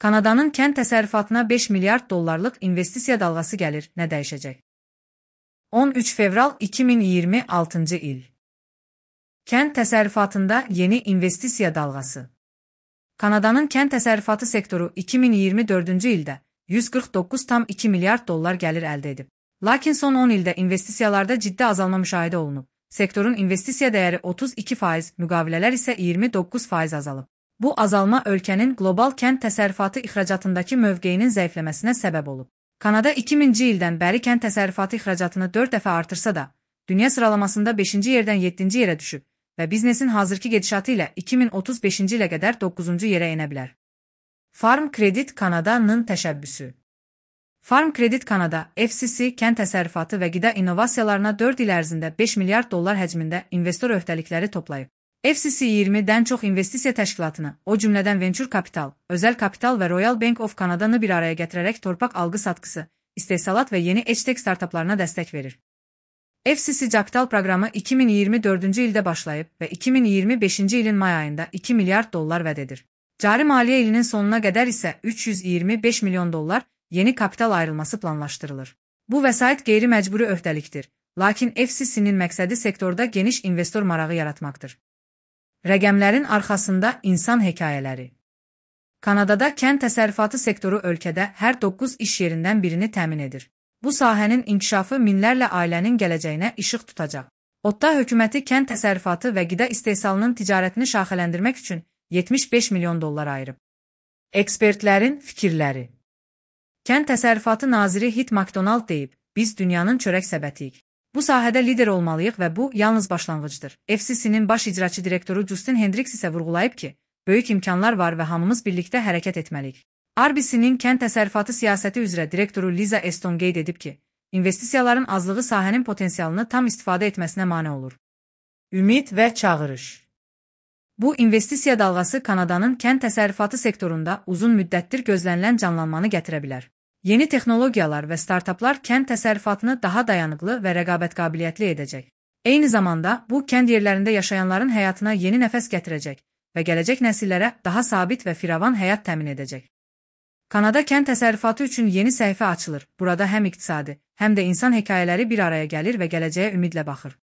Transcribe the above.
Kanadanın kənd təsərrüfatına 5 milyard dollarlıq investisiya dalğası gəlir, nə dəyişəcək? 13 fevral 2026 il. Kənd təsərrüfatında yeni investisiya dalğası. Kanadanın kənd təsərrüfatı sektoru 2024-cü ildə 149,2 milyard dollar gəlir əldə edib. Lakin son 10 ildə investisiyalarda ciddi azalma müşahidə olunub. Sektorun investisiya dəyəri 32%, müqavilələr isə 29% azalıb. Bu azalma ölkənin qlobal kənd təsərrüfatı ixracatındakı mövqeyinin zəifləməsinə səbəb olub. Kanada 2000-ci ildən bəri kənd təsərrüfatı ixracatını 4 dəfə artırsa da, dünya sıralamasında 5-ci yerdən 7-ci yerə düşüb və biznesin hazırki gedişatı ilə 2035-ci ilə qədər 9-cu yerə enə bilər. Farm Credit Canada-nın təşəbbüsü. Farm Credit Canada, FCC, kənd təsərrüfatı və qida innovasiyalarına 4 il ərzində 5 milyard dollar həcmində investor öhdəlikləri toplayıb. FCC 20-dən çox investisiya təşkilatını, o cümlədən Venture Capital, Özəl Kapital və Royal Bank of Canada-nı bir araya gətirərək torpaq alqı-satqısı, istehsalat və yeni edtech startaplarına dəstək verir. FCC Capital proqramı 2024-cü ildə başlayıb və 2025-ci ilin may ayında 2 milyard dollar vəd edir. Cari maliyyə ilinin sonuna qədər isə 325 milyon dollar yeni kapital ayrılması planlaşdırılır. Bu vəsait qeyri-məcburi öhdəlikdir, lakin FCC-nin məqsədi sektorda geniş investor marağı yaratmaqdır. Rəqəmlərin arxasında insan hekayələri. Kanadada kənd təsərrüfatı sektoru ölkədə hər 9 iş yerindən birini təmin edir. Bu sahənin inkişafı minlərlə ailənin gələcəyinə işıq tutacaq. ODDA hökuməti kənd təsərrüfatı və qida istehsalının ticarətini şaxələndirmək üçün 75 milyon dollar ayırıb. Ekspertlərin fikirləri. Kənd təsərrüfatı naziri Hit McDonald deyib, biz dünyanın çörək səbətiyik. Bu sahədə lider olmalıyıq və bu yalnız başlanğıcdır. FCC-nin baş icraçı direktoru Justin Hendricks isə vurğulayıb ki, böyük imkanlar var və hamımız birlikdə hərəkət etməliyik. RBC-nin kənd təsərrüfatı siyasəti üzrə direktoru Liza Eston qeyd edib ki, investisiyaların azlığı sahənin potensialını tam istifadə etməsinə mane olur. Ümid və çağırış. Bu investisiya dalğası Kanadanın kənd təsərrüfatı sektorunda uzun müddətdir gözlənilən canlanmanı gətirə bilər. Yeni texnologiyalar və startaplar kənd təsərrüfatını daha dayanıqlı və rəqabət qabiliyyətli edəcək. Eyni zamanda, bu kənd yerlərində yaşayanların həyatına yeni nəfəs gətirəcək və gələcək nəsillərə daha sabit və firavan həyat təmin edəcək. Kanada kənd təsərrüfatı üçün yeni səhifə açılır. Burada həm iqtisadi, həm də insan hekayələri bir araya gəlir və gələcəyə ümidlə baxır.